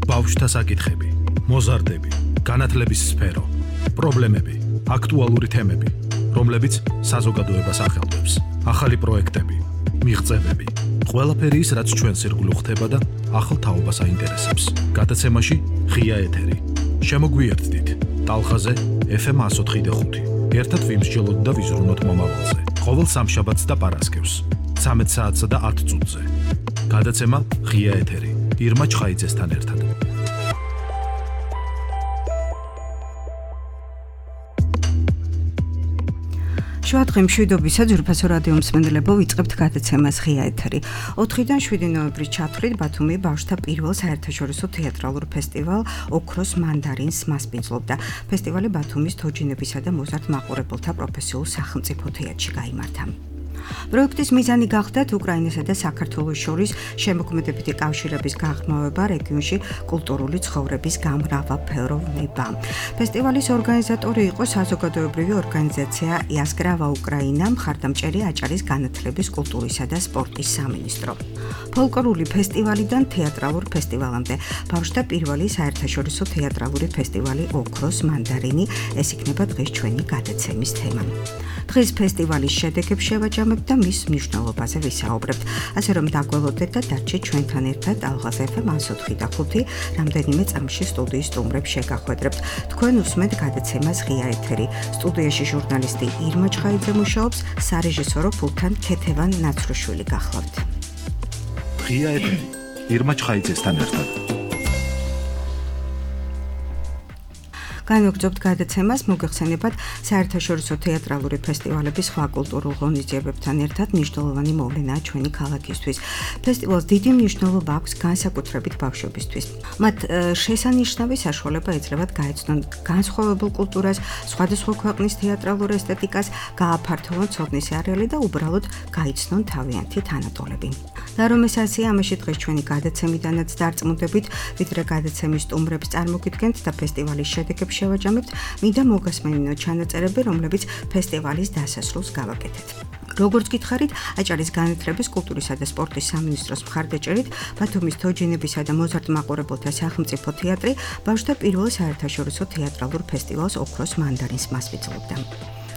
ბავშვთა საკითხები, მოზარდები, განათლების სფერო, პრობლემები, აქტუალური თემები, რომლებიც საზოგადოებას ახელვებს, ახალი პროექტები, მიღწევები, ყველაფერი ის, რაც ჩვენს ირგვლივ ხდება და ახალ თაობას აინტერესებს. გადაცემაში ღია ეთერი. შემოგვიერთდით ტალღაზე FM 104.5. ერთად ვიმსჯელოთ და ვიზრუნოთ მომავალზე. ყოველ სამშაბათს და პარასკევს 13 საათსა და 10 წუთზე. გადაცემა ღია ეთერი. ირმა ჩხაიძესთან ერთად. შუადღე მშვიდობისა ძვირფასო რადიო მსმენელებო, ვიწყებთ გადაცემას ღია ეთერი. 4-დან 7 ნოემბრის ჩათვლით ბათუმი ბავშვთა პირველ საერთაშორისო თეატრალურ ფესტივალ ოქროს მანდარინს მასპინძლობდა. ფესტივალი ბათუმის თოჯინებისა და მოზარდ მაყურებელთა პროფესიულ სახელმწიფო თეატრში გაიმართა. პროექტის მიზანი გახდათ უკრაინასა და საქართველოს შორის შემოქმედებითი კავშირების გაღრმავება რეგიონში კულტურული ცხოვრების გამრავალფეროვნება. ფესტივალის ორგანიზატორი იყო საზოგადოებრივი ორგანიზაცია იასკრავა უკრაინა, მხარდამჭერი აჭარის განათლების, კულტურისა და სპორტის სამინისტრო. ფოლკლორული ფესტივალიდან თეატრალურ ფესტივალამდე ბავშვთა პირველი საერთაშორისო თეატრალური ფესტივალი ოქროს მანდარინი, ეს იქნება დღეს ჩვენი გადაცემის თემა. დღეს ფესტივალის შედეგებს შევაჯამებთ და მის მნიშვნელობაზე ვისაუბრებთ. ასე რომ დაგველოდეთ და დარჩეთ ჩვენთან ერთად ტალღაზე FM 104.5 რამდენიმე წამში სტუდიის სტუმრებს შეგახვედრებთ. თქვენ უსმენთ გადაცემას ღია ეთერი. სტუდიაში ჟურნალისტი ირმა ჩხაიძე მუშაობს, სარეჟისორო ფულთან ქეთევან ნაცრუშვილი გახლავთ. ღია ეთერი. ირმა ჩხაიძესთან ერთად. განვაგრძობთ გადაცემას, მოგეხსენებათ საერთაშორისო თეატრალური ფესტივალების სხვა კულტურულ ღონისძიებებთან ერთად მნიშვნელოვანი მოვლენაა ჩვენი ქალაქისთვის. ფესტივალს დიდი მნიშვნელობა აქვს განსაკუთრებით ბავშვებისთვის. მათ შესანიშნავი საშუალება ეძლევათ გაეცნონ განსხვავებულ კულტურას, სხვადასხვა ქვეყნის თეატრალურ ესთეტიკას, გააფართოვონ ცოდნის არეალი და უბრალოდ გაიცნონ თავიანთი თანატოლები. და რომ ეს ასეა, ამაში დღეს ჩვენი გადაცემიდანაც დარწმუნდებით, ვიდრე გადაცემის სტუმრებს წარმოგიდგენთ და ფესტივალის შედეგებს შევაჯამებთ, მინდა მოგასმენინოთ ჩანაწერები, რომლებიც ფესტივალის დასასრულს გავაკეთეთ. როგორც გითხარით, აჭარის განათლების, კულტურისა და სპორტის სამინისტროს მხარდაჭერით, ბათუმის თოჯინებისა და მოზარდ მაყურებელთა სახელმწიფო თეატრი ბავშვთა პირველ საერთაშორისო თეატრალურ ფესტივალს ოქროს მანდარინს მასპინძლობდა.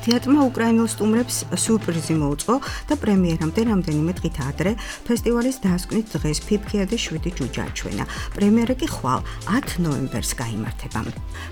თეატრმა უკრაინულ სტუმრებს სიურპრიზი მოუწყო და პრემიერამდე რამდენიმე დღით ადრე ფესტივალის დასკვნით დღეს ფიფქია და 7 ჯუჯა აჩვენა. პრემიერა კი ხვალ 10 ნოემბერს გაიმართება.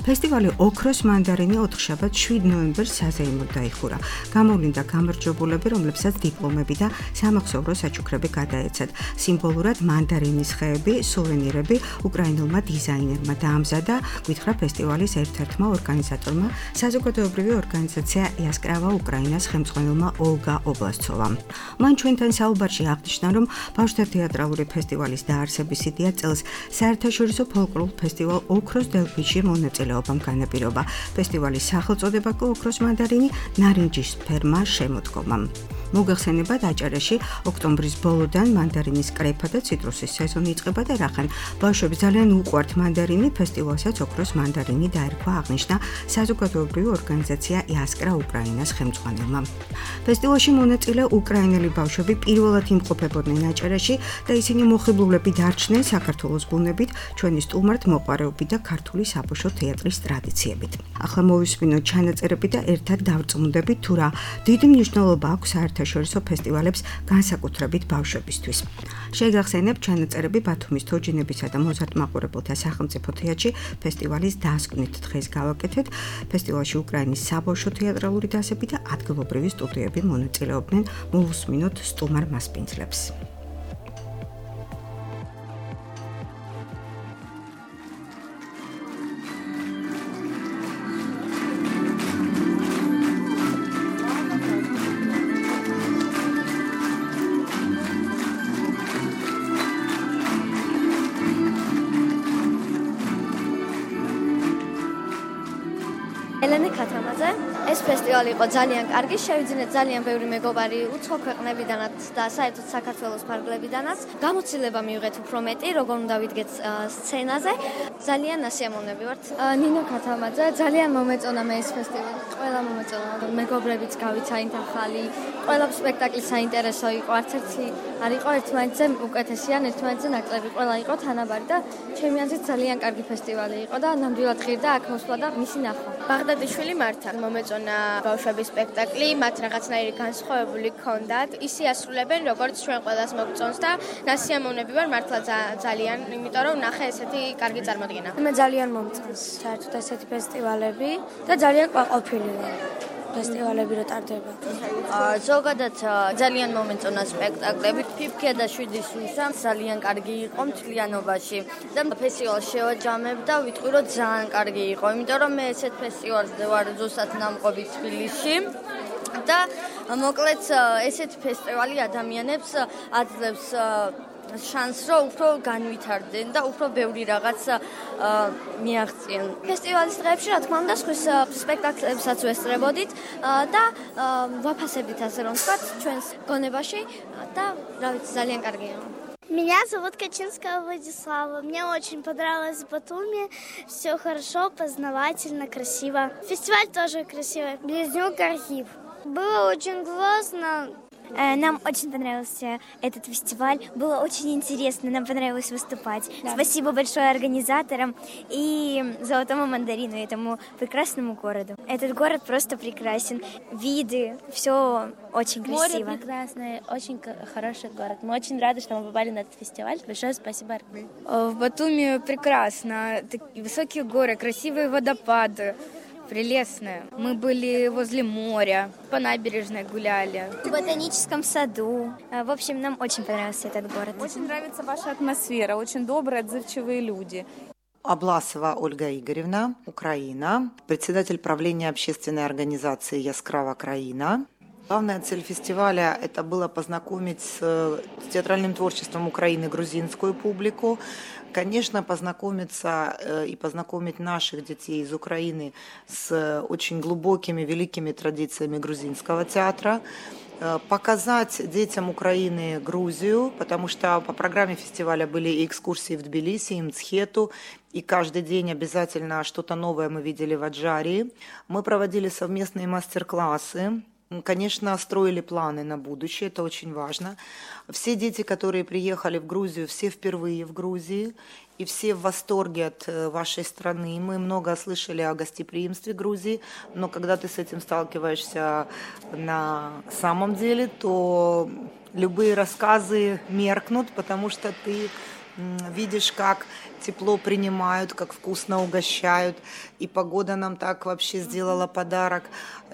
ფესტივალი ოქროს მანდარინი 4 7 ნოემბერს საზეიმოდ დაიხურა. გამოვლინდა გამარჯვებულები, რომლებსაც დიპლომები და სამახსოვრო საჩუქრები გადაეცათ. სიმბოლურად მანდარინის ხეები, სუვენირები უკრაინულმა დიზაინერმა დაამზადა, გითხრა ფესტივალის ერთ-ერთმა ორგანიზატორმა, საზოგადოებრივი ორგანიზაცია იასკრავა უკრაინას ხელმძღვანელმა ოლგა ობლასცოვამ. მან ჩვენთან საუბარში აღნიშნა, რომ ბავშვთა თეატრალური ფესტივალის დაარსების იდეა წელს საერთაშორისო ფოლკლორულ ფესტივალ ოქროს დელფინში მონაწილეობამ განაპირობა. ფესტივალის სახელწოდება კი ოქროს მანდარინი ნარინჯის ფერმა შემოდგომა. მოგეხსენებათ, აჭარაში ოქტომბრის ბოლოდან მანდარინის კრეფა და ციტრუსის სეზონი იწყება და რახან ბავშვებს ძალიან უყვართ მანდარინი, ფესტივალსაც ოქროს მანდარინი დაერქვა, აღნიშნა საზოგადოებრივი ორგანიზაცია იასკრა უკრაინას ხელმძღვანელმა. ფესტივალში მონაწილე უკრაინელი ბავშვები პირველად იმყოფებოდნენ აჭარაში და ისინი მოხიბლულები დარჩნენ საქართველოს ბუნებით, ჩვენი სტუმართ მოყვარეობით და ქართული საბავშვო თეატრის ტრადიციებით. ახლა მოვისმინოთ ჩანაწერები და ერთად დავწმუნდებით თუ რა დიდი მნიშვნელობა აქვს საერთაშორისო ფესტივალებს განსაკუთრებით ბავშვებისთვის. შეგახსენებთ ჩანაწერები ბათუმის თოჯინებისა და მოზარდ მაყურებელთა სახელმწიფო თეატრში ფესტივალის დასკვნით დღეს გავაკეთეთ. ფესტივალში უკრაინის საბავშვო თეატრალური დასები და ადგილობრივი სტუდიები მონაწილეობდნენ. მოვუსმინოთ სტუმარ მასპინძლებს. ელენე ქათამაძე ეს ფესტივალი იყო ძალიან კარგი, შევიძინეთ ძალიან ბევრი მეგობარი უცხო ქვეყნებიდანაც და საერთოდ საქართველოს ფარგლებიდანაც. გამოცდილება მივიღეთ უფრო მეტი, როგორ უნდა ვიდგეთ სცენაზე. ძალიან ასიამოვნები ვართ. ნინო ქათამაძე, ძალიან მომეწონა მე ეს ფესტივალი. ყველა მომეწონა, მეგობრებიც გავიცანით ახალი. ყველა სპექტაკლი საინტერესო იყო, არც ერთი არ იყო ერთმანეთზე უკეთესი ან ერთმანეთზე ნაკლები. ყველა იყო თანაბარი და ჩემი აზრით ძალიან კარგი ფესტივალი იყო და ნამდვილად ღირდა აქ მოსვლა და მისი ნახვა. ბაღდაძიშვილი მართა მომეწონა ბავშვების სპექტაკლი, მათ რაღაცნაირი განსხვავებული ჰქონდათ. ისე ასრულებენ, როგორც ჩვენ ყველას მოგწონს და ნასიამოვნები ვარ მართლა ძალიან, იმიტომ რომ ნახე ესეთი კარგი წარმოდგენა. მე ძალიან მომწონს საერთოდ ესეთი ფესტივალები და ძალიან ყვაყოფილი ვარ. ფესტივალები რო ტარდება. ზოგადად ძალიან მომეწონა სპექტაკლები. ფიფქია და 7 სულსა ძალიან კარგი იყო მთლიანობაში და ფესტივალს შევაჯამებ და ვიტყვი რომ ძალიან კარგი იყო, იმიტომ რომ მე ესეთ ფესტივალზე ვარ ზუსტად ნამყოფი თბილისში. და მოკლედ ესეთ ფესტივალი ადამიანებს აძლევს შანსს რომ უფრო განვითარდნენ და უფრო ბევრი რაღაც მიაღწიენ. ფესტივალის დღეებში რა თქმა უნდა სხვის სპექტაკლებსაც ვესწრებოდით და ვაფასებდით ასე რომ ვთქვათ ჩვენს გონებაში და რა ვიცი ძალიან კარგია. Меня зовут Качинская Владислава. Мне очень понравилось в Батуми. Все хорошо, познавательно, красиво. Фестиваль тоже красивый. Близнюк архив. Было очень классно. Нам очень понравился этот фестиваль. Было очень интересно. Нам понравилось выступать. Да. Спасибо большое организаторам и Золотому мандарину, этому прекрасному городу. Этот город просто прекрасен. Виды, все очень красиво. Море прекрасное, очень хороший город. Мы очень рады, что мы попали на этот фестиваль. Большое спасибо. В Батуми прекрасно. Такие высокие горы, красивые водопады. Прелестная. Мы были возле моря, по набережной гуляли. В ботаническом саду. В общем, нам очень понравился этот город. Очень нравится ваша атмосфера, очень добрые, отзывчивые люди. Абласова Ольга Игоревна, Украина, председатель правления общественной организации «Яскрава Краина». Главная цель фестиваля – это было познакомить с театральным творчеством Украины грузинскую публику, конечно, познакомиться и познакомить наших детей из Украины с очень глубокими, великими традициями грузинского театра, показать детям Украины Грузию, потому что по программе фестиваля были и экскурсии в Тбилиси, и Мцхету, и каждый день обязательно что-то новое мы видели в Аджарии. Мы проводили совместные мастер-классы. Конечно, строили планы на будущее, это очень важно. Все дети, которые приехали в Грузию, все впервые в Грузии, и все в восторге от вашей страны. Мы много слышали о гостеприимстве Грузии, но когда ты с этим сталкиваешься на самом деле, то любые рассказы меркнут, потому что ты видишь, как тепло принимают, как вкусно угощают, и погода нам так вообще сделала подарок,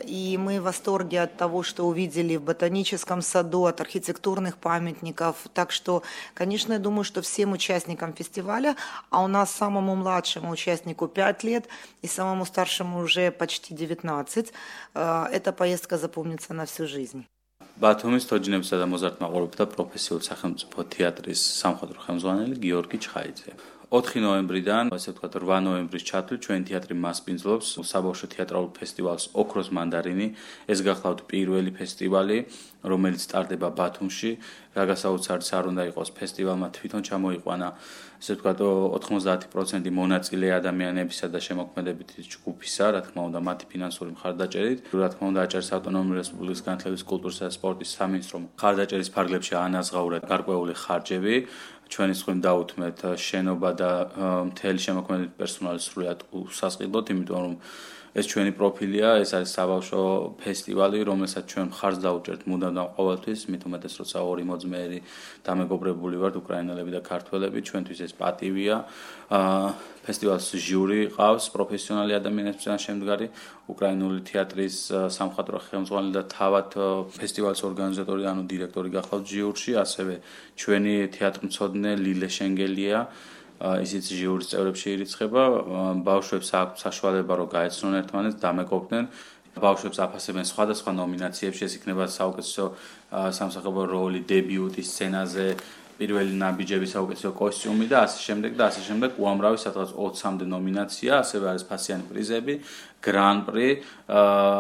и мы в восторге от того, что увидели в ботаническом саду, от архитектурных памятников, так что, конечно, я думаю, что всем участникам фестиваля, а у нас самому младшему участнику 5 лет, и самому старшему уже почти 19, эта поездка запомнится на всю жизнь. ბათუმის თოჯინებისა და მოზარდ-მაყურებელთა პროფესიული სახელმწიფო თეატრის სამხატვრო ხელმძღვანელი გიორგი ჩხაიძე. 4 ნოემბრიდან, ასე ვთქვათ, 8 ნოემბრის ჩათვლით ჩვენ თეატრი მასპინძლობს საბავშვო თეატრალურ ფესტივალს ოქროს მანდარინი. ეს გახლავთ პირველი ფესტივალი, რომელიც სტარტდება ბათუმში. რაგასაოცარიც არ უნდა იყოს ფესტივალმა თვითონ ჩამოიყვანა, ასე ვთქვათ, 90% მონაწილე ადამიანებისა და შემოქმედებითი ჯგუფისა, რა თქმა უნდა, მათი ფინანსური მხარდაჭერით. რა თქმა უნდა, აჭარის ავტონომიური რესპუბლიკის განათლების, კულტურისა და სპორტის სამინისტრომ მხარდაჭერის ფარგლებში ანაზღაურა გარკვეული ხარჯები. ჩვენი სხვიმ დაუთმეთ შენობა და მთელი შემოქმედებითი პერსონალი სრულად უსასყიდლოდ, იმიტომ რომ ეს ჩვენი პროფილია, ეს არის საბავშვო ფესტივალი, რომელსაც ჩვენ მხარს დაუჭერთ მუდამ და ყოველთვის, მით უმეტეს როცა ორი მოძმეერი დამეგობრებული ვართ უკრაინელები და ქართველები, ჩვენთვის ეს პატივია. ფესტივალს ჟიური ყავს, პროფესიონალი ადამიანებიდან შემდგარი, უკრაინული თეატრის სამხატვრო ხელმძღვანელი და თავად ფესტივალის ორგანიზატორი, ანუ დირექტორი გახლავთ ჟიურში, ასევე ჩვენი თეატრმცოდნე ლილე შენგელია. ისიც ჟიურის წევრებში ირიცხება, ბავშვებს აქვთ საშუალება რომ გაეცნონ ერთმანეთს, დამეკობდნენ. ბავშვებს აფასებენ სხვადასხვა ნომინაციებში, ეს იქნება საუკეთესო სამსახიობო როლი, დებიუტი სცენაზე, პირველი ნაბიჯები, საუკეთესო კოსტიუმი და ასე შემდეგ და ასე შემდეგ. უამრავი სადღაც 20-მდე ნომინაცია, ასევე არის ფასიანი პრიზები გრან-პრი,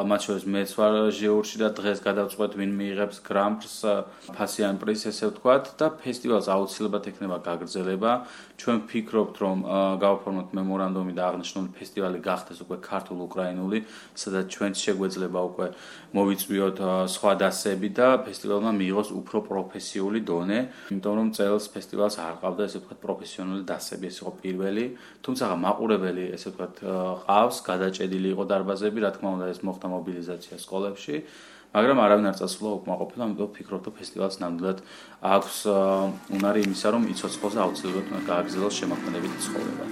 მათ შორის მეც ვარ ჟიურში და დღეს გადავწყვეტ ვინ მიიღებს გრან-პრს, ფასიან პრიზს ესე ვთქვათ და ფესტივალს აუცილებლად ექნება გაგრძელება. ჩვენ ვფიქრობთ, რომ გავაფორმოთ მემორანდუმი და აღნიშნული ფესტივალი გახდეს უკვე ქართულ-უკრაინული, სადაც ჩვენც შეგვეძლება უკვე მოვიწვიოთ სხვა დასები და ფესტივალმა მიიღოს უფრო პროფესიული დონე, იმიტომ რომ წელს ფესტივალს არ ყავდა ესე ვთქვათ პროფესიონალი დასები, ეს იყო პირველი, თუმცა მაყურებელი ესე ვთქვათ ყავს, გადაჭედილი იყო დარბაზები, რა თქმა უნდა ეს მოხდა მობილიზაცია სკოლებში, მაგრამ არავინ არ წასულა უკმაყოფილო, ამიტომ ვფიქრობ, რომ ფესტივალს ნამდვილად აქვს უნარი იმისა, რომ იცოცხლოს და აუცილებლად უნდა გააგრძელოს შემოქმედებითი ცხოვრება.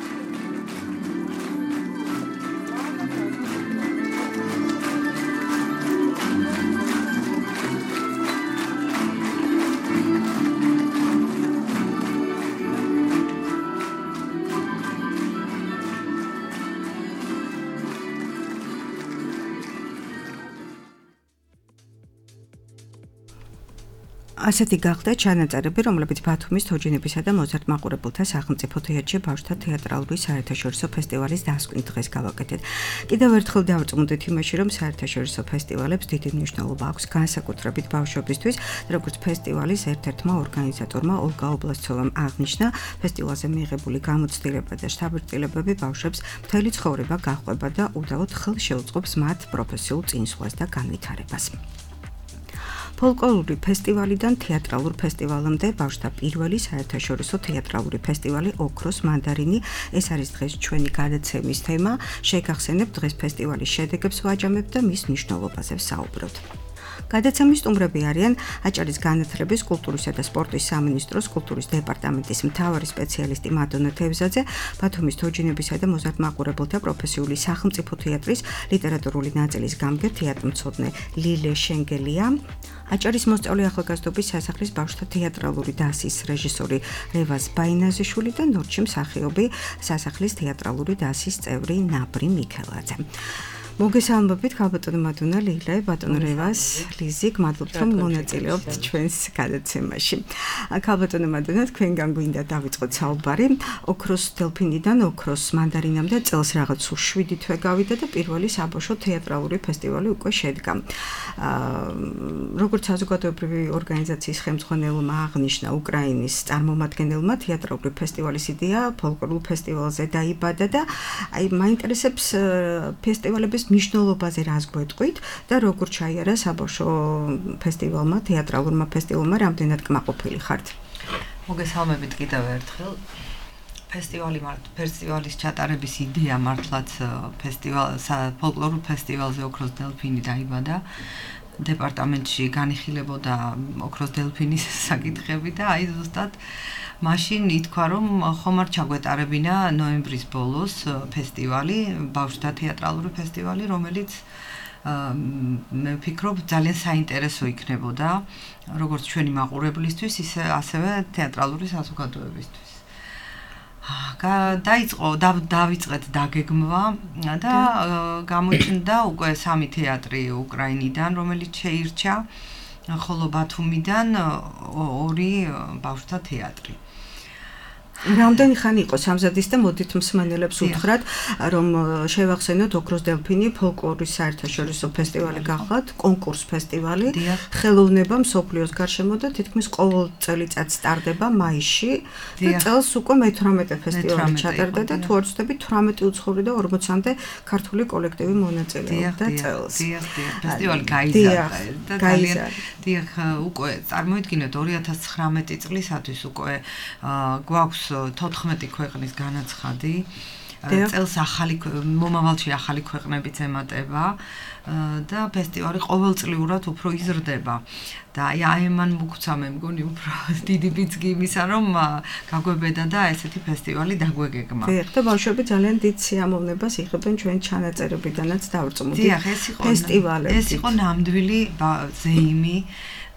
ასეთი გახდა ჩანაწერები, რომლებიც ბათუმის თოჯინებისა და მოზარდ მაყურებელთა სახელმწიფო თეატრში ბავშვთა თეატრალური საერთაშორისო ფესტივალის დასკვნის დღეს გავაკეთეთ. კიდევ ერთხელ დავწმუნდით იმაში, რომ საერთაშორისო ფესტივალებს დიდი მნიშვნელობა აქვს განსაკუთრებით ბავშვებისთვის, როგორც ფესტივალის ერთ-ერთმა ორგანიზატორმა ოლგა ობლასცოვამ აღნიშნა, ფესტივალზე მიიღებული გამოცდილება და შთაბეჭდილებები ბავშვებს მთელი ცხოვრება გაჰყვება და უდავოდ ხელს შეუწყობს მათ პროფესიულ წინსვლას და განვითარებას. ფოლკლორული ფესტივალიდან თეატრალურ ფესტივალამდე ბავშვთა პირველი საერთაშორისო თეატრალური ფესტივალი ოქროს მანდარინი ეს არის დღეს ჩვენი გადაცემის თემა. შეგახსენებთ დღეს ფესტივალის შედეგებს ვაჯამებთ და მის მნიშვნელობაზე ვსაუბრობთ. გადაცემის სტუმრები არიან აჭარის განათლების, კულტურისა და სპორტის სამინისტროს კულტურის დეპარტამენტის მთავარი სპეციალისტი მადონა თევზაძე, ბათუმის თოჯინებისა და მოზარდ მაყურებელთა პროფესიული სახელმწიფო თეატრის ლიტერატურული ნაწილის გამგე თეატრმცოდნე ლილე შენგელია, აჭარის მოსწავლე ახალგაზრდობის სასახლის ბავშვთა თეატრალური დასის რეჟისორი რევაზ ბაინაზიშვილი და ნორჩი მსახიობი სასახლის თეატრალური დასის წევრი ნაბრი მიქელაძე. მოგესალმებით ქალბატონო მადონა, ლილე, ბატონო რევაზ, ლიზი, გმადლობთ რომ მონაწილეობთ ჩვენს გადაცემაში. ქალბატონო მადონა, თქვენგან გვინდა დავიწყოთ საუბარი. ოქროს დელფინიდან ოქროს მანდარინამდე წელს რაღაც 7 თვე გავიდა და პირველი საბავშვო თეატრალური ფესტივალი უკვე შედგა. როგორც საზოგადოებრივი ორგანიზაციის ხელმძღვანელმა აღნიშნა, უკრაინის წარმომადგენელმა თეატრალური ფესტივალის იდეა ფოლკლორულ ფესტივალზე დაიბადა და აი მაინტერესებს ფესტივალების მნიშვნელობაზე რას გვეტყვით და როგორ ჩაიარა საბავშვო ფესტივალმა, თეატრალურმა ფესტივალმა, რამდენად კმაყოფილი ხართ? მოგესალმებით კიდევ ერთხელ. ფესტივალის ჩატარების იდეა მართლაც ფოლკლორულ ფესტივალზე ოქროს დელფინი დაიბადა. დეპარტამენტში განიხილებოდა ოქროს დელფინის საკითხები და აი ზუსტად მაშინ ითქვა, რომ ხომ არ ჩაგვეტარებინა ნოემბრის ბოლოს ფესტივალი, ბავშვთა თეატრალური ფესტივალი, რომელიც მე ვფიქრობ ძალიან საინტერესო იქნებოდა, როგორც ჩვენი მაყურებლისთვის, ისე ასევე თეატრალური საზოგადოებისთვის. დავიწყეთ დაგეგმვა და გამოჩნდა უკვე 3 თეატრი უკრაინიდან, რომელიც შეირჩა, ხოლო ბათუმიდან 2 ბავშვთა თეატრი. რამდენი ხანი იყო სამზადის და მოდით მსმენელებს უთხრათ, რომ შევახსენოთ ოქროს დელფინი ფოლკლორის საერთაშორისო ფესტივალი გახლავთ, კონკურს ფესტივალი, ხელოვნება მსოფლიოს გარშემო და თითქმის ყოველ წელიწად სტარდება მაისში და წელს უკვე მე-18 ფესტივალი ჩატარდა და თუ არ ვცდები 18 უცხოური და 40-მდე ქართული კოლექტივი მონაწილეობდა წელს. ფესტივალი გაიზარდა და ძალიან უკვე წარმოიდგინეთ 2019 წლისათვის უკვე გვაქვს 14 ქვეყნის განაცხადი. წელს მომავალში ახალი ქვეყნებიც ემატება და ფესტივალი ყოველწლიურად უფრო იზრდება. და აი მან მოგცა მე მგონი უფრო დიდი ბიძგი იმისა, რომ გაგვებედა და ესეთი ფესტივალი დაგვეგეგმა. დიახ, და ბავშვები ძალიან დიდ სიამოვნებას იღებენ ჩვენ ჩანაწერებიდანაც დავწმუნდით. დიახ, ეს იყო ნამდვილი ზეიმი.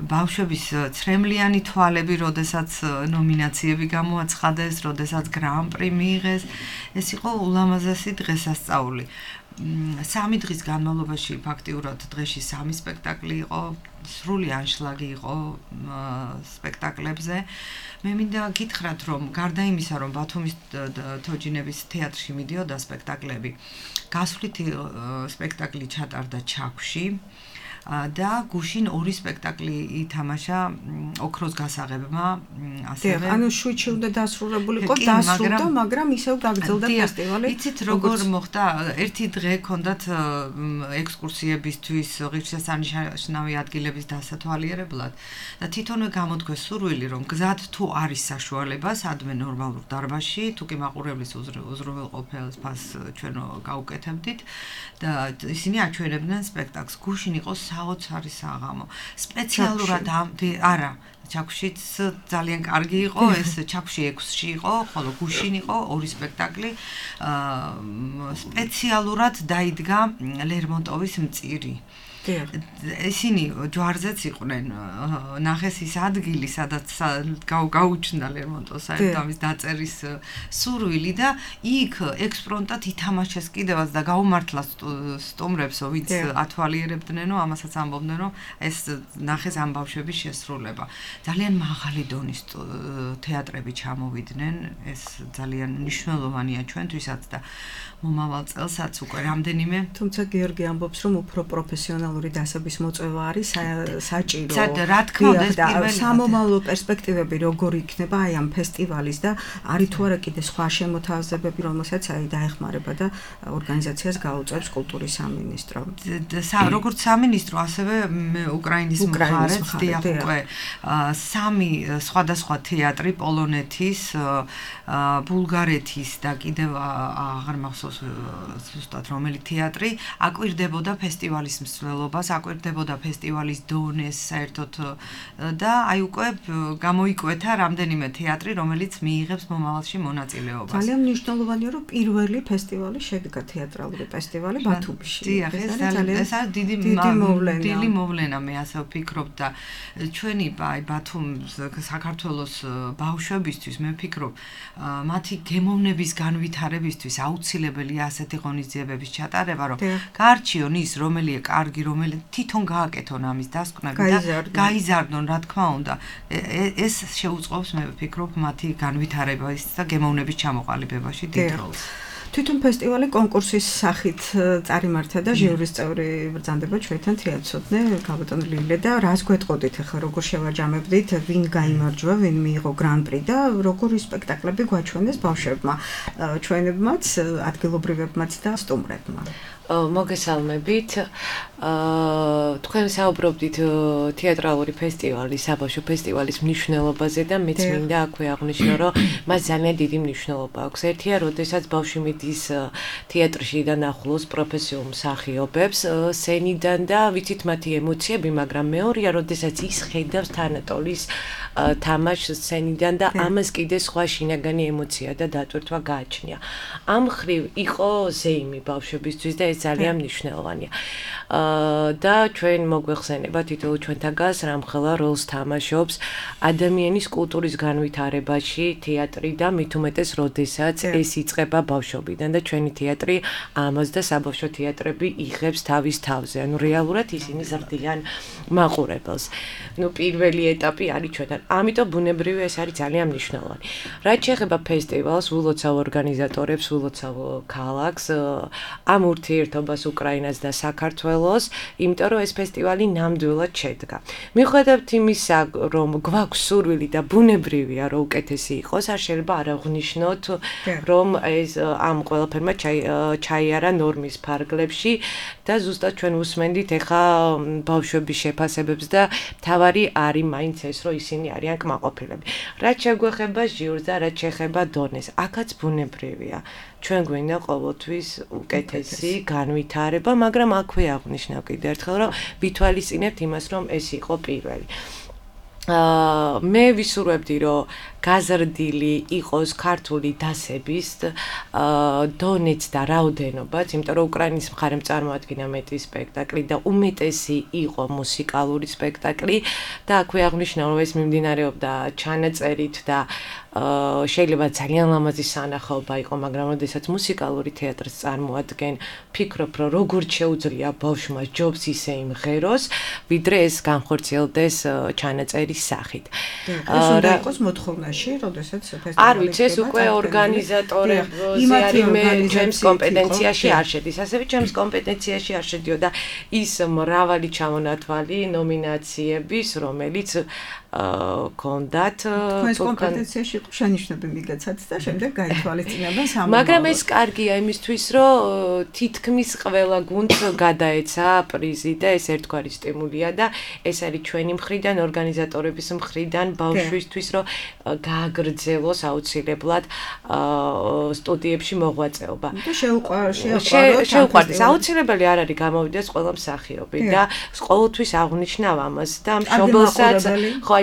ბავშვების ცრემლიანი თვალები, როდესაც ნომინაციები გამოაცხადეს, როდესაც გრან-პრი მიიღეს, ეს იყო ულამაზესი დღესასწაული. 3 დღის განმავლობაში ფაქტიურად დღეში 3 სპექტაკლი იყო, სრული ანშლაგი იყო სპექტაკლებზე. მე მინდა გითხრათ, რომ გარდა იმისა, რომ ბათუმის თოჯინების თეატრში მიდიოდა სპექტაკლები, გასვლითი სპექტაკლი ჩატარდა ჩაქვში. და გუშინ 2 სპექტაკლი ითამაშა ოქროს გასაღებმა, ასევე ანუ შვიდში უნდა დასრულებულიყო, დასრულდა, მაგრამ ისევ გაგრძელდა ფესტივალი. იცით როგორ მოხდა? ერთი დღე ჰქონდათ ექსკურსიებისთვის, ღირსშესანიშნავი ადგილების დასათვალიერებლად და თვითონვე გამოთქვეს სურვილი, რომ გზად თუ არის საშუალება, სადმე ნორმალურ დარბაზში, თუ კი მაყურებლის უზრუნველყოფილს ფას ჩვენ გავუკეთებდით და ისინი აჩვენებდნენ სპექტაკლს. გუშინ იყო საოცარი საღამო. სპეციალურად არა, ჩაქვშიც ძალიან კარგი იყო, ეს ჩაქვში 6-ში იყო, ხოლო გუშინ იყო 2 სპექტაკლი. სპეციალურად დაიდგა ლერმონტოვის მწირი. ისინი ჯვარზეც იყვნენ, ნახეს ის ადგილი, სადაც გაუჩნდა ლერმონტოს საერთამის დაწერის სურვილი და იქ ექსპრონტად ითამაშეს კიდევაც და გაუმართლა სტუმრებსო, ვინც ათვალიერებდნენო, ამასაც ამბობდნენ, რომ ეს ნახეს ამ ბავშვების შესრულება. ძალიან მაღალი დონის თეატრები ჩამოვიდნენ, ეს ძალიან მნიშვნელოვანია ჩვენთვისაც და მომავალ წელსაც უკვე რამდენიმე. თუმცა გიორგი ამბობს, რომ უფრო პროფესიონალური დასაბის მოწვევა არის საჭირო. რა თქმა უნდა, ეს პირველი სამომავლო პერსპექტივები როგორ იქნება აი ამ ფესტივალის და არის თუ არა კიდე სხვა შემოთავაზებები, რომელსაც აი დაეხმარება და ორგანიზაციას გაუწევს კულტურის სამინისტრო. როგორც სამინისტრო, ასევე უკრაინის მხარეც დიახ უკვე 3 სხვადასხვა თეატრი, პოლონეთის, ბულგარეთის და კიდევ აღარ მახსოვს ზუსტად რომელი თეატრი აკვირდებოდა ფესტივალის მსვლელობას, აკვირდებოდა ფესტივალის დონეს საერთოდ და აი უკვე გამოიკვეთა რამდენიმე თეატრი, რომელიც მიიღებს მომავალში მონაწილეობას. ძალიან მნიშვნელოვანია, რომ პირველი ფესტივალი შედგა თეატრალური ფესტივალი ბათუმში. დიახ, ეს არის დიდი მოვლენა, მე ასე ვფიქრობ და ჩვენი აი ბათუმის საქართველოს ბავშვებისთვის მე ვფიქრობ, მათი გემოვნების განვითარებისთვის აუცილებელია ასეთი ღონისძიებების ჩატარება, რომ გაარჩიონ ის, რომელია კარგი, რომელი თვითონ გააკეთონ ამის დასკვნები და გაიზარდონ, რა თქმა უნდა. ეს შეუწყობს, მე ვფიქრობ, მათი განვითარებას და გემოვნების ჩამოყალიბებაში დიდ როლს. თვითონ ფესტივალი კონკურსის სახით წარიმართა და ჟიურის წევრი ბრძანდება ჩვენთან თეატროდნე გაბატონ ლილე და რას გვეტყოდით ახლა როგორ შევაჯამებდით, ვინ გაიმარჯვა, ვინ მიიღო გრან-პრი და როგორი სპექტაკლები გვაჩვენეს ბავშვებმა, ჩვენებმაც, ადგილობრივებმაც და სტუმრებმა. მოგესალმებით. თქვენ საუბრობდით თეატრალური ფესტივალის, საბავშვო ფესტივალის მნიშვნელობაზე და მეც მინდა აქვე აღვნიშნო, რომ მას ძალიან დიდი მნიშვნელობა აქვს. ერთია, როდესაც ბავშვი მიდის თეატრში და ნახულობს პროფესიულ მსახიობებს სცენიდან და ვიცით მათი ემოციები, მაგრამ მეორეა, როდესაც ის ხედავს თანატოლის თამაშს სცენიდან და ამას კიდე სხვა შინაგანი ემოცია და დატვირთვა გააჩნია. ამ ხრივ იყო ზეიმი ბავშვებისთვის და ეს ძალიან მნიშვნელოვანია. და ჩვენ მოგვეხსენება თითოეულ ჩვენთაგას რამხელა როლს თამაშობს ადამიანის კულტურის განვითარებაში თეატრი და მით უმეტეს როდესაც ეს იწყება ბავშვობიდან და ჩვენი თეატრი ამას და საბავშვო თეატრები იღებს თავის თავზე. ანუ რეალურად ისინი ზრდიან მაყურებელს. პირველი ეტაპი არის ჩვენთან. ამიტომ ბუნებრივი ეს არის ძალიან მნიშვნელოვანი. რაც შეეხება ფესტივალს, ვილოცავ ორგანიზატორებს, ვილოცავ ქალაქს, ამ ურთიერთობას უკრაინას და საქართველოს, იმიტომ რომ ეს ფესტივალი ნამდვილად შედგა. მიუხედავად იმისა, რომ გვაქვს სურვილი და ბუნებრივია, რომ უკეთესი იყოს, არ შეიძლება არ აღვნიშნოთ, რომ ეს ამ ყველაფერმა ჩაიარა ნორმის ფარგლებში და ზუსტად ჩვენ უსმენდით ეხა ბავშვების შეფასებებს და თავარი არის მაინც ეს, რომ ისინი არიან კმაყოფილები. რაც შეგვეხება ჟიურს და რაც შეეხება დონეს, აქაც ბუნებრივია. ჩვენ გვინდა ყოველთვის უკეთესი განვითარება, მაგრამ აქვე აღვნიშნავ კიდევ ერთხელ, რომ ვითვალისწინებთ იმას, რომ ეს იყო პირველი. მე ვისურვებდი, რომ გაზრდილი იყოს ქართული დასების დონეც და რაოდენობაც, იმიტომ რომ უკრაინის მხარემ წარმოადგინა მეტი სპექტაკლი და უმეტესი იყო მუსიკალური სპექტაკლი და აქვე აღნიშნა რომ ეს მიმდინარეობდა ჩანაწერით და შეიძლება ძალიან ლამაზი სანახაობა იყო, მაგრამ როდესაც მუსიკალური თეატრს წარმოადგენ, ფიქრობ, რომ როგორ შეუძლია ბავშვმა ჯობს ისე იმღეროს, ვიდრე ეს განხორციელდეს ჩანაწერის სახით. ეს უნდა იყოს მოთხოვნაში, როდესაც ფესტივალი არ ვიცი, ეს უკვე ორგანიზატორებზე არის მე ჩემს კომპეტენციაში არ შედის. ასევე ჩემს კომპეტენციაში არ შედიოდა ის მრავალი ჩამონათვალი ნომინაციების, რომელიც კონდათ თქვენს კომპეტენციაში შენიშვნები მიგაცათ და შემდეგ გაითვალისწინებენ სამომავლოდ. მაგრამ ეს კარგია იმისთვის, რომ თითქმის ყველა გუნდს გადაეცა პრიზი და ეს ერთგვარი სტიმულია და ეს არის ჩვენი მხრიდან, ორგანიზატორების მხრიდან ბავშვისთვის, რომ გააგრძელოს აუცილებლად სტუდიებში მოღვაწეობა. და შეუყვარდეს. აუცილებელი არ არის გამოვიდეს ყველა მსახიობი და ყოველთვის აღნიშნავ ამას და მშობელსაც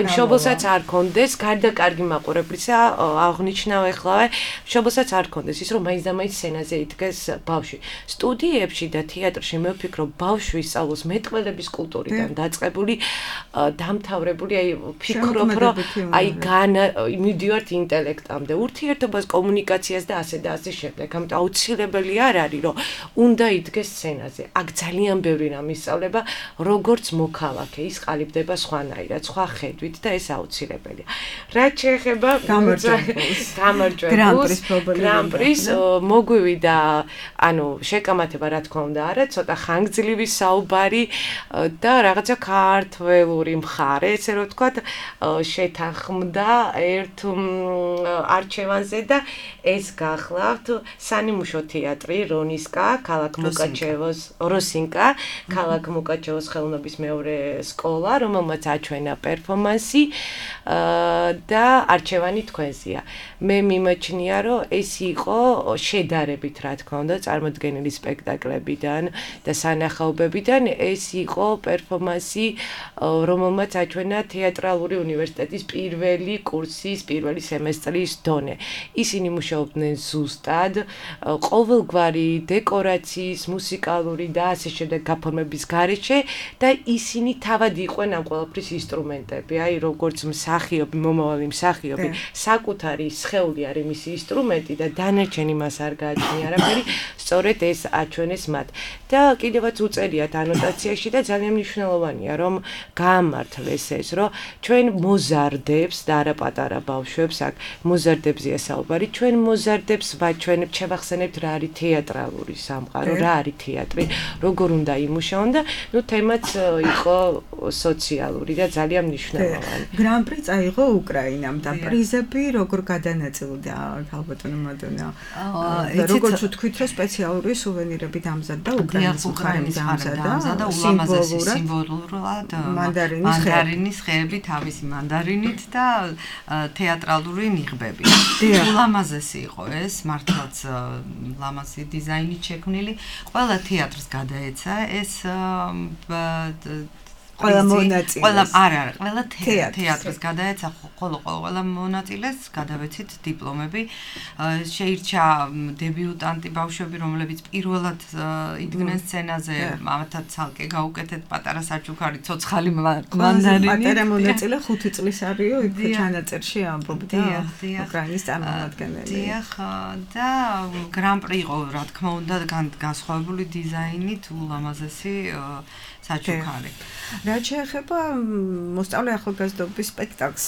იმ მშობელსაც არ კონდეს, გარდა კარგი მაყურებლისა, აღნიშნავ ეხლავე, მშობელსაც არ კონდეს ის, რომ მაინც და მაინც სცენაზე იდგეს ბავშვი. სტუდიებში და თეატრში მე ვფიქრობ, ბავშვი ისწავლოს მეტყველების კულტურიდან დაწყებული, დამთავრებული, აი ვფიქრობ, რომ აი მივდივართ ინტელექტამდე, ურთიერთობას, კომუნიკაციას და ასე და ასე შემდეგ. ამიტომ აუცილებელი არ არის, რომ უნდა იდგეს სცენაზე. აქ ძალიან ბევრი რამ ისწავლება, როგორც მოქალაქე, ის ყალიბდება სხვანაირად, სხვა ხედვით. და ეს აუცილებელია. რაც შეეხება გამარჯვებულს, გრან-პრის მოგვივიდა, ანუ შეკამათება რა თქმა უნდა არა, ცოტა ხანგრძლივი საუბარი და რაღაცა ქართველური მხარე, ესე რომ ვთქვათ, შეთანხმდა ერთ არჩევანზე და ეს გახლავთ სანიმუშო თეატრი რონისკა, ქალაქ მუკაჩევოს, როსინკა, ქალაქ მუკაჩევოს ხელოვნების მეორე სკოლა, რომელმაც აჩვენა პერფორმანსი და არჩევანი თქვენზეა. მე მიმაჩნია, რომ ეს იყო შედარებით, რა თქმა უნდა, წარმოდგენილი სპექტაკლებიდან და სანახაობებიდან, ეს იყო პერფორმანსი, რომელმაც აჩვენა თეატრალური უნივერსიტეტის პირველი კურსის, პირველი სემესტრის დონე. ისინი მუშაობდნენ ზუსტად, ყოველგვარი დეკორაციის, მუსიკალური და ასე შემდეგ გაფორმების გარეშე და ისინი თავად იყვნენ ამ ყველაფრის ინსტრუმენტები. აი როგორც მსახიობი, მომავალი მსახიობი, საკუთარი სხეული არის მისი ინსტრუმენტი და დანარჩენი მას არ გააჩნია არაფერი, სწორედ ეს აჩვენეს მათ. და კიდევაც უწერიათ ანოტაციაში და ძალიან მნიშვნელოვანია, რომ გაამართლეს ეს, რომ ჩვენ მოზარდებს და არა პატარა ბავშვებს, აქ მოზარდებზეა საუბარი, ჩვენ მოზარდებს ვაჩვენებთ, შევახსენებთ რა არის თეატრალური სამყარო, რა არის თეატრი, როგორ უნდა იმუშაონ და ნუ თემაც იყო სოციალური და ძალიან მნიშვნელოვანი. გრან-პრი წაიღო უკრაინამ და პრიზები როგორ გადანაწილდა ქალბატონო მადონა? როგორც ვთქვით, რომ სპეციალური სუვენირები დამზადდა უკრაინის მხარემ დამზადდა ულამაზესი სიმბოლურად მანდარინის ხეები თავისი მანდარინით და თეატრალური ნიღბები. ულამაზესი იყო ეს, მართლაც ლამაზი დიზაინით შექმნილი. ყველა თეატრს გადაეცა ეს ყველა მონაწილეს. ყველა თეატრს გადაეცა, ყველა მონაწილეს გადავეცით დიპლომები. შეირჩა დებიუტანტი ბავშვები, რომლებიც პირველად იდგნენ სცენაზე, ამათაც ცალკე გაუკეთეთ პატარა საჩუქარი, ცოცხალი მანდარინი. პატარა მონაწილე 5 წლის არისო, იქ ჩანაწერში ამბობდა უკრაინის წარმომადგენელი. დიახ, და გრან-პრი იყო, რა თქმა უნდა, განსხვავებული დიზაინით, ულამაზესი საჩუქარი. რაც შეეხება მოსწავლე ახალგაზრდობის სპექტაკლს,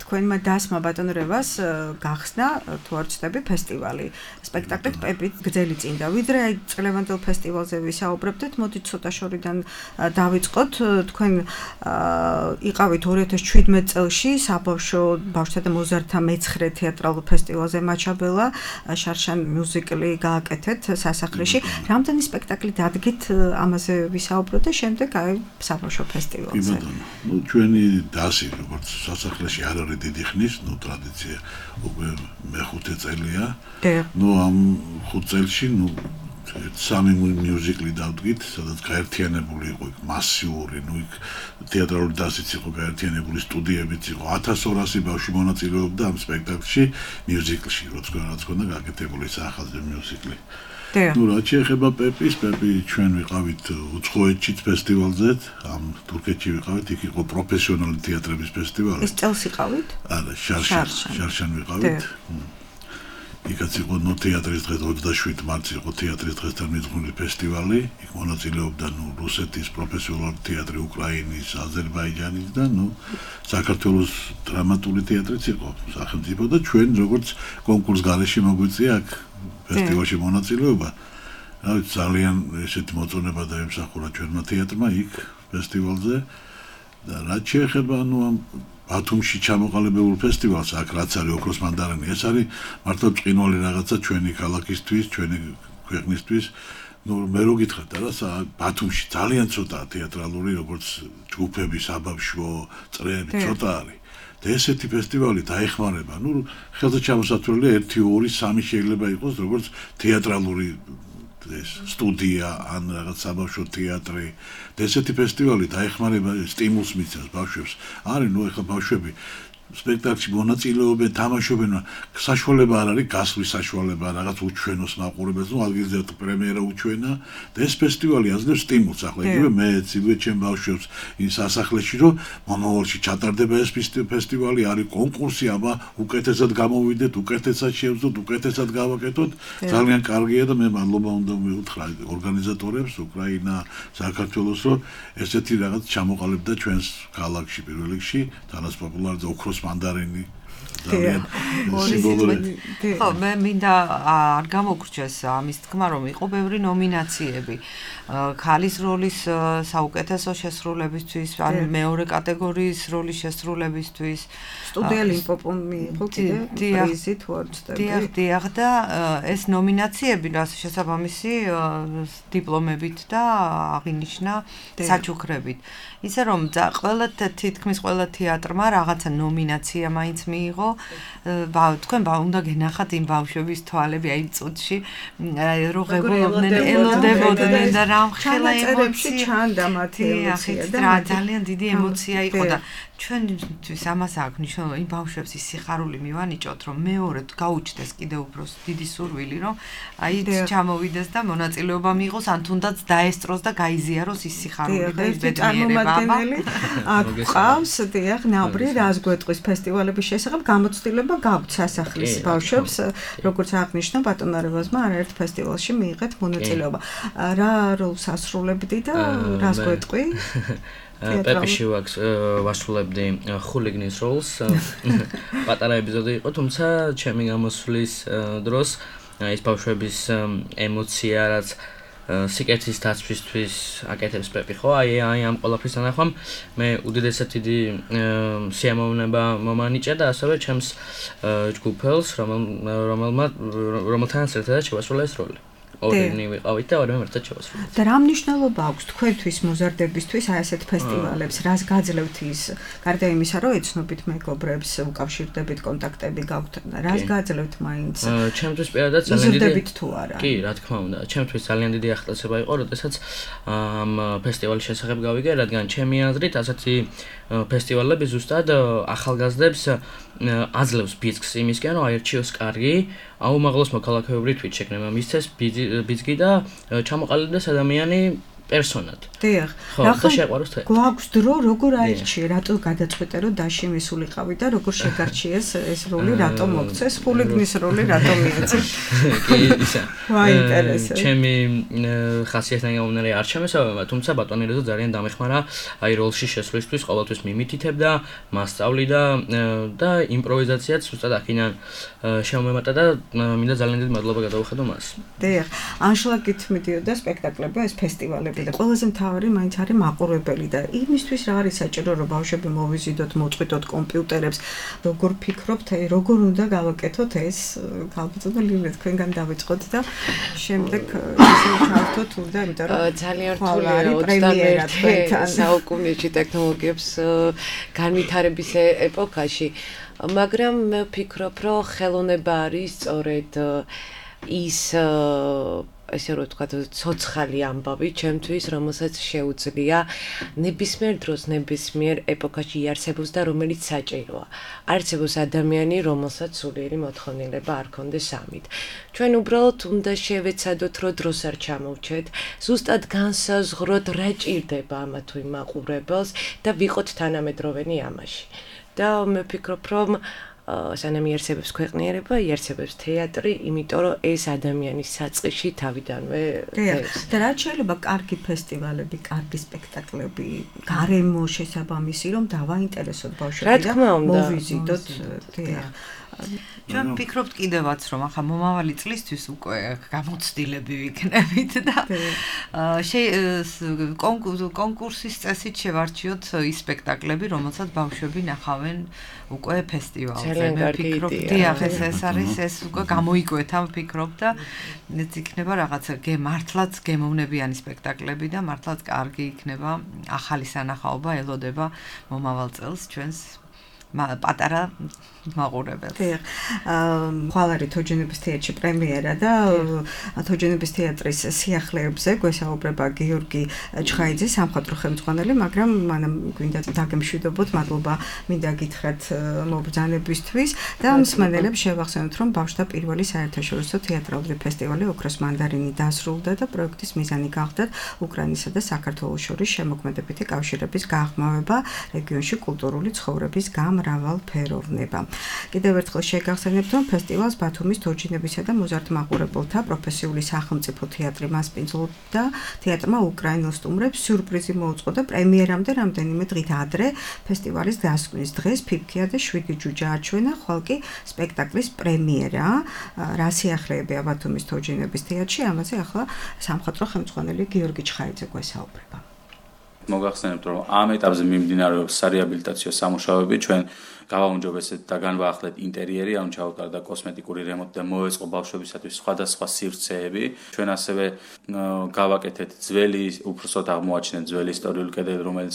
თქვენმა დასმა ბატონ რევას გახსნა, თუ არ ვცდები, ფესტივალი. სპექტაკლით პეპით გრძელი წინ და ვიდრე აი წლევანდელ ფესტივალზე ვისაუბრებდით, მოდით ცოტა შორიდან დავიწყოთ. თქვენ იყავით 2017 წელში საბავშვო ბავშვთა და მოზარდთა მეცხრე თეატრალურ ფესტივალზე მაჩაბელა, შარშან მიუზიკლი გააკეთეთ სასახლეში. რამდენი სპექტაკლი დადგით ამაზე ვისაუბროთ და შემდეგ აი საბავშვო ფესტივალზე. ნუ ჩვენი დასი როგორც სასახლეში არ არის დიდი ხნის, ნუ ტრადიცია უკვე მე-5 წელია. ნუ ამ 5 წელში ნუ სამი მიუზიკლი დავდგით, სადაც გაერთიანებული იყო მასიური, იქ თეატრალური დასიც იყო გაერთიანებული, სტუდიებიც იყო, 1200 ბავშვი მონაწილეობდა ამ სპექტაკლში, მიუზიკლში, რაც ქონდა გაკეთებული ახალგაზრდა მიუზიკლი. რაც შეეხება პეპი ჩვენ ვიყავით უცხოეთშიც ფესტივალზე, ამ თურქეთში ვიყავით, იქ იყო პროფესიონალი თეატრების ფესტივალი. ეს წელს იყავით? არა, შარშან ვიყავით. იქაც იყო თეატრის დღე 27 მარტს იყო თეატრის დღესთან მიძღვნილი ფესტივალი, იქ მონაწილეობდა რუსეთის პროფესიონალური თეატრი, უკრაინის, აზერბაიჯანის და საქართველოს დრამატული თეატრიც იყო სახელმწიფო და ჩვენ როგორც კონკურს გარეშე მოგვიწია აქ ფესტივალში მონაწილეობა. ძალიან ესეთი მოწონება დაემსახურა ჩვენმა თეატრმა იქ ფესტივალზე და რაც შეეხება ამ ბათუმში ჩამოყალიბებულ ფესტივალს, აქ რაც არის ოქროს მანდარინი, ეს არის მართლა ბრწყინვალე რაღაცა ჩვენი ქალაქისთვის, ჩვენი ქვეყნისთვის. მე რო გითხრათ რა, ბათუმში ძალიან ცოტაა თეატრალური, როგორც ჯგუფები, საბავშვო წრეები ცოტა არის. და ესეთი ფესტივალი დაეხმარება, ხელზე ჩამოსათვლელია 1, 2, 3 შეიძლება იყოს, როგორც თეატრალური სტუდია ან რაღაც საბავშვო თეატრი. და ესეთი ფესტივალი დაეხმარება, სტიმულს მიცემს ბავშვებს. არის ეხლა ბავშვები სპექტაკლში მონაწილეობენ, თამაშობენ, საშუალება არ არის გასვლის საშუალება, რაღაც უჩვენოს მაყურებელს, ადგილზე პრემიერა უჩვენა და ეს ფესტივალი აძლევს სტიმულს. ახლა იგივე მეც, იგივე ჩემ ბავშვებს ის სასახლეში, რომ მომავალში ჩატარდება ეს ფესტივალი, არის კონკურსი, აბა უკეთესად გამოვიდეთ, უკეთესად შევძლოთ, უკეთესად გავაკეთოთ. ძალიან კარგია და მე მადლობა უნდა მივუთხრა ორგანიზატორებს, უკრაინა, საქართველოს, რომ ესეთი რაღაც ჩამოყალიბდა ჩვენს ქალაქში პირველ რიგში, თანაც პოპულარიზდა ოქროს მანდარინი ძალიან სიმბოლური. ხო, მე მინდა არ გამოგრჩეს ამის თქმა, რომ იყო ბევრი ნომინაციები. ქალის როლის საუკეთესო შესრულებისთვის, ან მეორე კატეგორიის როლის შესრულებისთვის. სტუდია ლიმპოპომ მიიღო პრიზი თუ არ ვცდები. დიახ და ეს ნომინაციები რას შესაბამისი დიპლომებით და აღინიშნა საჩუქრებით. ისე რომ თითქმის ყველა თეატრმა რაღაცა ნომინაცია მაინც მიიღო. თქვენ უნდა გენახათ იმ ბავშვების თვალები აი წუთში რო ღებულობდნენ, ელოდებოდნენ და რამხელა ემოცია ჩანდა მათი ემოცია და ძალიან დიდი ემოცია იყო და ჩვენთვის ამას აქვს მნიშვნელობა იმ ბავშვებს ის სიხარული მივანიჭოთ, რომ მეორედ გაუჩნდეს კიდევ უფრო დიდი სურვილი, რომ აი ჩამოვიდეს და მონაწილეობა მიიღოს, ან თუნდაც დაესწროს და გაიზიაროს ის სიხარული და ის ბედნიერება. ყავს დიახ, ნაბრი რას გვეტყვის ფესტივალების შესახებ გამოცდილება გაქვთ სასახლის ბავშვებს, როგორც აღნიშნა ბატონ არევაზმა არაერთ ფესტივალში მიიღეთ მონაწილეობა. რა როლს ასრულებდი და რას გვეტყვი? პეპიში ვასრულებდი ხულიგნის როლს. პატარა ეპიზოდი იყო, თუმცა ჩემი გამოსვლის დროს ეს ბავშვების ემოცია რაც სიკეთის დაცვისთვის აკეთებს პეპი ხო? აი ამ ყველაფრის თანახმად მე უდიდესად დიდი სიამოვნება მომანიჭა და ასევე ჩემს ჯგუფელს, რომელთანაც ერთადაც შევასრულა ეს როლი. ორინი ვიყავით და ორემ ერთად შევასრულეთ. და რა მნიშვნელობა აქვს თქვენთვის მოზარდებისთვის აი ასეთ ფესტივალებს? რას გაძლევთ ის? გარდა იმისა, რომ ეცნობით მეგობრებს, უკავშირდებით, კონტაქტები გაქვთ, რას გაძლევთ მაინც? ჩემთვის პირადად ძალიან დიდი იზრდებით თუ არა? კი, რა თქმა უნდა. ჩემთვის ძალიან დიდი ახალწება იყო, როდესაც ამ ფესტივალის შესახებ გავიგე, რადგან ჩემი აზრით ასეთი ფესტივალები ზუსტად ახალგაზრდებს აძლევს ბიძგს იმისკენ, რომ აერჩიოს კარგი, აუმაღლოს მოქალაქეობრივი თვითშეგნება მისცეს ბიძგი და ჩამოყალიბდეს ადამიანი პერსონად. დიახ. გვაქვს დრო როგორ აირჩიე, რატო გადაწყვეტე რომ დაში მისულიყავი და როგორ შეგარჩიეს ეს როლი, რატო მოგცეს ხულიგნის როლი, რატო მიეცეს? კი, ისა. ვაინტერესებს. ჩემი ხასიათიდან გამომდინარე არ შემესაბამება, თუმცა ბატონი რეზო ძალიან დამეხმარა აი როლში შესვლისთვის, ყოველთვის მიმითითებდა, მასწავლიდა და იმპროვიზაციაც უბრალოდ აქედან შემომემატა და მინდა ძალიან დიდი მადლობა გადაუხადო მას. დიახ. ანშლაგით მიდიოდა სპექტაკლები, ეს ფესტივალები და ყველაზე მთავარი მაინც არის მაყურებელი და იმისთვის რა არის საჭირო რომ ბავშვები მოვიზიდოთ, მოწყვიტოთ კომპიუტერებს, როგორ ფიქრობთ, როგორ უნდა გავაკეთოთ ეს ქალბატონო ლილე თქვენგან დავიწყოთ და შემდეგ ისე ჩავთოთ უნდა, იმიტომ რომ ძალიან რთული არის პრემიერა თქვენთან საუკუნეში ტექნოლოგიებს განვითარების ეპოქაში, მაგრამ მე ვფიქრობ, რომ ხელოვნება არის სწორედ ის ესე რომ ვთქვათ, ცოცხალი ამბავი ჩემთვის, რომელსაც შეუძლია ნებისმიერ დროს, ნებისმიერ ეპოქაში იარსებოს და რომელიც საჭიროა. არსებობს ადამიანი, რომელსაც სულიერი მოთხოვნილება არ ქონდეს ამით. ჩვენ უბრალოდ უნდა შევეცადოთ, რომ დროს არ ჩამოვჩეთ, ზუსტად განსაზღვროთ, რა ჭირდება ამა თუ იმ მაყურებელს და ვიყოთ თანამედროვენი ამაში. და მე ვფიქრობ, რომ სანამ იარსებებს ქვეყნიერება, იარსებებს თეატრი, იმიტომ რომ ეს ადამიანის საწყისში თავიდანვე ეს. და რაც შეიძლება კარგი ფესტივალები, კარგი სპექტაკლები, გარემო შესაბამისი, რომ დავაინტერესოთ ბავშვები და მოვიზიდოთ. ჩვენ ვფიქრობთ კიდევაც, რომ ახლა მომავალი წლისთვის უკვე გამოცდილები ვიქნებით და კონკურსის წესით შევარჩიოთ ის სპექტაკლები, რომელსაც ბავშვები ნახავენ უკვე ფესტივალზე. მე ვფიქრობ, დიახ, ეს არის ეს უკვე გამოიკვეთა, ვფიქრობ და ეს იქნება რაღაცა მართლაც გემოვნებიანი სპექტაკლები და მართლაც კარგი იქნება ახალი სანახაობა ელოდება მომავალ წელს ჩვენს პატარა მაყურებელს. ხვალარი თოჯინების თეატრში პრემიერა და თოჯინების თეატრის სიახლეებზე გვესაუბრება გიორგი ჩხაიძე, სამხატვრო ხელმძღვანელი, მაგრამ მანამ გვინდა დაგემშვიდობოთ, მადლობა მინდა გითხრათ მობრძანებისთვის და მსმენელებს შევახსენოთ, რომ ბავშვთა პირველი საერთაშორისო თეატრალური ფესტივალი ოქროს მანდარინი დასრულდა და პროექტის მიზანი გახდა უკრაინისა და საქართველოს შორის შემოქმედებითი კავშირების გაღრმავება, რეგიონში კულტურული ცხოვრების გამრავალფეროვნება. კიდევ ერთხელ შეგახსენებთ, რომ ფესტივალს ბათუმის თოჯინებისა და მოზარდ-მაყურებელთა პროფესიული სახელმწიფო თეატრი მასპინძლობდა თეატრმა უკრაინელ სტუმრებს სიურპრიზი მოუწყო და პრემიერამდე რამდენიმე დღით ადრე ფესტივალის დასკვნის დღეს ფიფქია და 7 ჯუჯა აჩვენა, ხვალ კი სპექტაკლის პრემიერა, რა სიახლეებია ბათუმის თოჯინების თეატრში, ამაზე ახლა სამხატვრო ხელმძღვანელი გიორგი ჩხაიძე გვესაუბრება. მოგახსენებთ, რომ ამ ეტაპზე მიმდინარეობს სარეაბილიტაციო სამუშაოები, ჩვენ გავაუმჯობესეთ და განვაახლეთ ინტერიერი, ამ ჩავუტარდა კოსმეტიკური რემონტი და მოეწყო ბავშვებისათვის სხვადასხვა სივრცეები. ჩვენ ასევე გავაკეთეთ ძველი, უფროსოდ აღმოაჩინეთ ძველი ისტორიული კედელი, რომელიც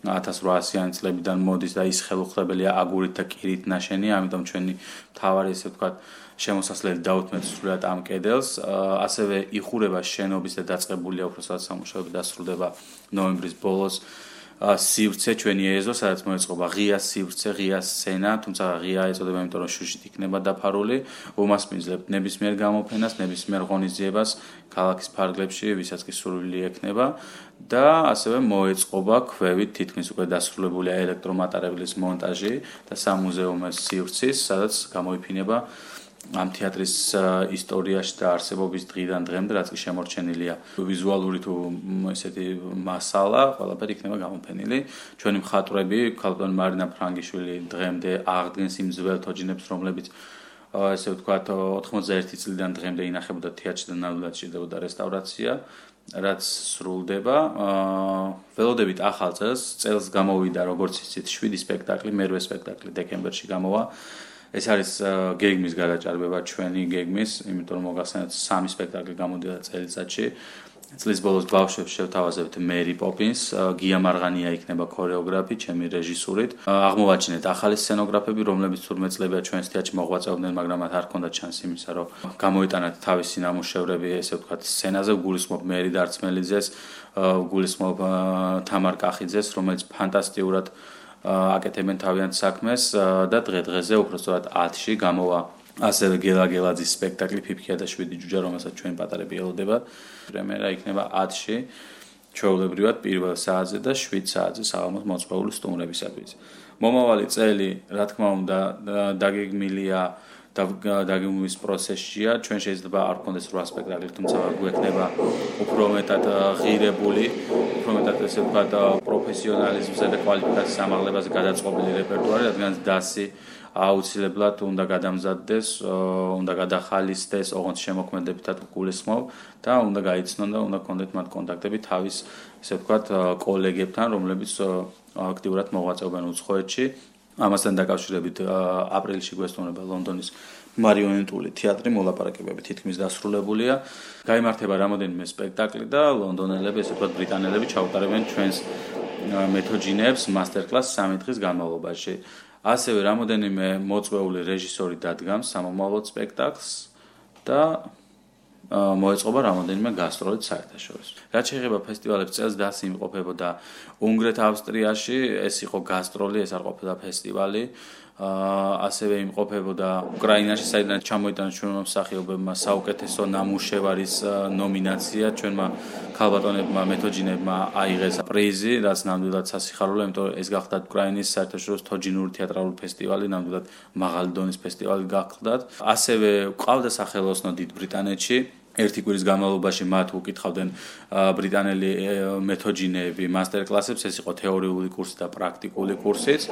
1800-იანი წლებიდან მოდის და ის ხელუხლებელია აგურით და კირით ნაშენია, ამიტომ ჩვენი მთავარი ესე ვთქვათ შემოსასვლელი დაუთმეთ სრულად ამ კედელს. ასევე იხურება შენობის და დაწყებულია უფროსად სამუშაოები დასრულდება ნოემბრის ბოლოს. სივრცე ჩვენი ეზო, სადაც მოეწყობა ღია სივრცე, ღია სცენა, თუმცა ღია ეწოდება, იმიტომ რომ შუშით იქნება დაფარული. უმასპინძლებთ ნებისმიერ გამოფენას, ნებისმიერ ღონისძიებას ქალაქის ფარგლებში, ვისაც კი სურვილი ექნება და ასევე მოეწყობა ქვევით თითქმის უკვე დასრულებულია ელექტრომატარებლის მონტაჟი და სამუზეუმო სივრცის, სადაც გამოიფინება ამ თეატრის ისტორიაში და არსებობის დღიდან დღემდე, რაც კი შემორჩენილია ვიზუალური თუ ესეთი მასალა, ყველაფერი იქნება გამოფენილი. ჩვენი მხატვრები, ქალბატონი მარინა ფრანგიშვილი დღემდე აღდგენს იმ ძველ თოჯინებს, რომლებიც ესე ვთქვათ 91 წლიდან დღემდე ინახებოდა თეატრში და ნამდვილად სჭირდებოდა რესტავრაცია, რაც სრულდება. ველოდებით ახალ წელს გამოვიდა როგორც იცით 7 სპექტაკლი, მერვე სპექტაკლი დეკემბერში გამოვა. ეს არის გეგმის გადაჭარბება ჩვენი გეგმის, იმიტომ რომ მოგახსენებთ 3 სპექტაკლი გამოდიოდა წელიწადში. წლის ბოლოს ბავშვებს შევთავაზებთ მერი პოპინს, გია მარღანია იქნება ქორეოგრაფი, ჩემი რეჟისურით. აღმოვაჩინეთ ახალი სცენოგრაფები, რომლებიც თურმე წლებია ჩვენს თეატრში მოღვაწეობდნენ, მაგრამ მათ არ ჰქონდათ შანსი იმისა, რომ გამოიტანათ თავისი ნამუშევრები, ესე ვთქვათ, სცენაზე. გულისხმობ მერი დარწმელიძეს, გულისხმობ თამარ კახიძეს, რომელიც ფანტასტიკურად აკეთებენ თავიანთ საქმეს და დღე-დღეზე უბრალოდ 10-ში გამოვა ასევე გელაგელაძის სპექტაკლი ფიფქია და 7 ჯუჯა, რომელსაც ჩვენ პატარები ელოდება. პრემიერა იქნება 10-ში, ჩვეულებრივად 1 საათზე და 7 საათზე საღამოს მოწყობილი სტუმრებისათვის. მომავალი წელი, რა თქმა უნდა, დაგეგმილია და დაგეგმვის პროცესშია. ჩვენ შეიძლება არ გქონდეს 8 სპექტაკლი, თუმცა გვექნება უფრო მეტად ღირებული, უფრო მეტად ესე ვთქვათ პროფესიონალიზმსა და კვალიფიკაციის ამაღლებას გადაწყობილი რეპერტუარი, რადგან დასი აუცილებლად უნდა გადამზადდეს, უნდა გადახალისდეს, ოღონდ შემოქმედებითად გულისხმობ და უნდა გაიცნონ და უნდა გქონდეთ მათ კონტაქტები თავის ესე ვთქვათ კოლეგებთან, რომლებიც აქტიურად მოღვაწეობენ უცხოეთში. ამასთან დაკავშირებით აპრილში გვესტუმრება ლონდონის მარიონეტული თეატრი, მოლაპარაკებები თითქმის დასრულებულია. გაიმართება რამოდენიმე სპექტაკლი და ლონდონელები, ესე ვთქვათ ბრიტანელები ჩაუტარებენ ჩვენს მეთოჯინებს მასტერ-კლასს 3 დღის განმავლობაში. ასევე რამოდენიმე მოწვეული რეჟისორი დადგამს სამომავლოდ სპექტაკლს და მოეწყობა რამოდენიმე გასტროლით საერთაშორისო. რაც შეეხება ფესტივალებს, წელს დასი იმყოფებოდა უნგრეთ, ავსტრიაში, ეს იყო გასტროლი, ეს არ ყოფილა ფესტივალი. ასევე იმყოფებოდა უკრაინაში, საიდან ჩამოიტანა ჩვენმა მსახიობებმა საუკეთესო ნამუშევარის ნომინაცია, ჩვენმა ქალბატონებმა, მეთოჯინებმა აიღეს პრიზი, რაც ნამდვილად სასიხარულო, იმიტომ რომ ეს გახლდათ უკრაინის საერთაშორისო თოჯინური თეატრალური ფესტივალი, ნამდვილად მაღალი დონის ფესტივალი გახლდათ. ასევე ყავდა სახელოსნო დიდ ბრიტანეთში. ერთი კვირის განმავლობაში მათ უკითხავდნენ ბრიტანელი მეთოჯინეები მასტერ-კლასებს, ეს იყო თეორიული კურსი და პრაქტიკული კურსიც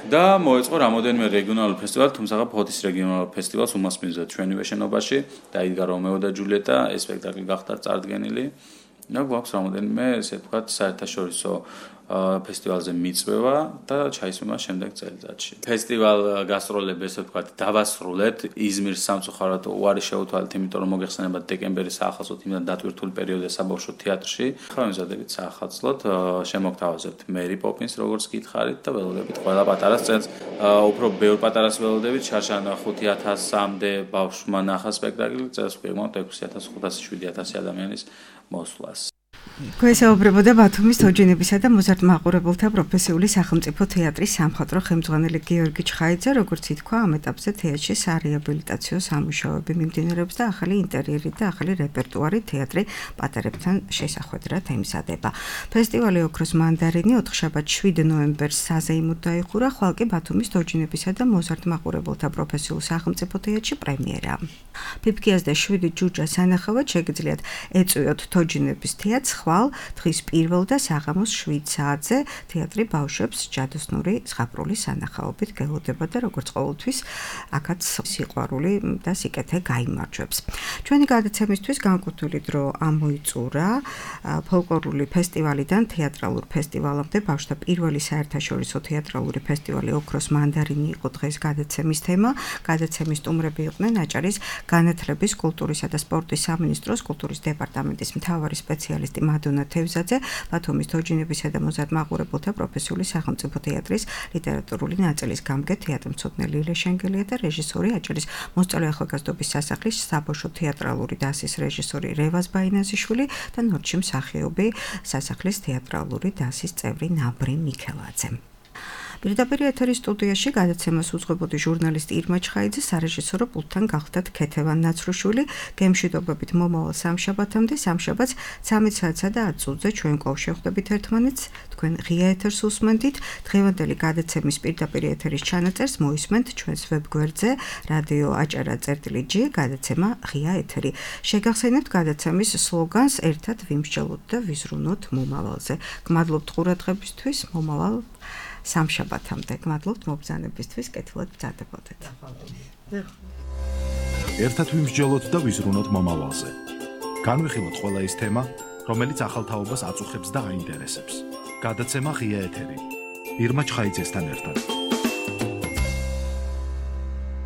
და მოეწყო რამოდენიმე რეგიონალური ფესტივალი, თუმცა ფოთის რეგიონალურ ფესტივალს უმასპინძლა ჩვენივე შენობაში, დაიდგა რომეო და ჯულიეტა, ეს სპექტაკლი გახდა წარდგენილი. და გვაქვს რამოდენიმე, ესე ვთქვათ, საერთაშორისო ფესტივალზე მიწვევა და ჩაისვენა შემდეგ წელიწადში. ფესტივალ გასტროლები, ესე ვთქვათ, დავასრულეთ იზმირს სამწუხაროდ უარი შეუთვალეთ, იმიტომ რომ მოგეხსენებათ დეკემბერის საახალწლოდ იმდან დატვირთული პერიოდია საბავშვო თეატრში. ახლა მიზადებით საახალწლოდ შემოგთავაზებთ მერი პოპინს, როგორც გითხარით და ველოდებით ყველა პატარას წელს უფრო ბევრ პატარას ველოდებით, შარშან 5000-მდე ბავშვმა ნახა სპექტაკლი, წელს ვიღებთ 6500-7000 ადამიანის მოსვლას. გვესაუბრებოდა ბათუმის თოჯინებისა და მოზარდ მაყურებელთა პროფესიული სახელმწიფო თეატრის სამხატვრო ხელმძღვანელი გიორგი ჩხაიძე, როგორც ითქვა, ამ ეტაპზე თეატრში სარეაბილიტაციო სამუშაოები მიმდინარეობს და ახალი ინტერიერი და ახალი რეპერტუარი თეატრი პატარებთან შესახვედრად ემზადება. ფესტივალი ოქროს მანდარინი 4 შაბათ 7 ნოემბერს საზეიმოდ დაიხურა, ხვალ კი ბათუმის თოჯინებისა და მოზარდ მაყურებელთა პროფესიულ სახელმწიფო თეატრში პრემიერა. ფიფქიას და 7 ჯუჯას სანახავად შეგიძლიათ ეწვიოთ თოჯინების თეატრს ხვალ დღის 1 და საღამოს 7 საათზე თეატრი ბავშვებს ჯადოსნური ზღაპრული სანახაობით გელოდება და როგორც ყოველთვის აქაც სიყვარული და სიკეთე გაიმარჯვებს. ჩვენი გადაცემისთვის განკუთვნილი დრო ამოიწურა ფოლკლორული ფესტივალიდან თეატრალურ ფესტივალამდე ბავშვთა პირველი საერთაშორისო თეატრალური ფესტივალი ოქროს მანდარინი იყო დღეს გადაცემის თემა. გადაცემის სტუმრები იყვნენ აჭარის განათლების, კულტურისა და სპორტის სამინისტროს კულტურის დეპარტამენტის მთავარი სპეციალისტი მადონა თევზაძე, ბათუმის თოჯინებისა და მოზარდ მაყურებელთა პროფესიული სახელმწიფო თეატრის ლიტერატურული ნაწილის გამგე თეატრმცოდნე ლილე შენგელია და რეჟისორი აჭარის მოსწავლე ახალგაზრდობის სასახლის საბავშვო თეატრალური დასის რეჟისორი რევაზ ბაინაზიშვილი და ნორჩი მსახიობი სასახლის თეატრალური დასის წევრი ნაბრი მიქელაძე. პირდაპირ ეთერის სტუდიაში გადაცემას უძღვებოდი ჟურნალისტი ირმა ჩხაიძე, სარეჟისორო პულტთან გახლდათ ქეთევან ნაცრუშვილი. გემშვიდობებით მომავალ სამშაბათამდე, სამშაბათს 13 საათსა და 10 წუთზე ჩვენ კვლავ შევხვდებით ერთმანეთს. თქვენ ღია ეთერს უსმენთ. დღევანდელი გადაცემის პირდაპირ ეთერის ჩანაწერს მოისმენთ ჩვენს ვებგვერდზე რადიო აჭარა.gi გადაცემა ღია ეთერი. შეგახსენებთ გადაცემის სლოგანს ერთად ვიმსჯელოთ და ვიზრუნოთ მომავალზე. გმადლობთ ყურადღებისთვის, მომავალ სამშაბათამდე. გმადლობთ მობრძანებისთვის, კეთილად ბრძანდებოდეთ. ერთად ვიმსჯელოთ და ვიზრუნოთ მომავალზე. განვიხილოთ ყველა ის თემა, რომელიც ახალ თაობას აწუხებს და აინტერესებს. გადაცემა ღია ეთერი. ირმა ჩხაიძესთან ერთად.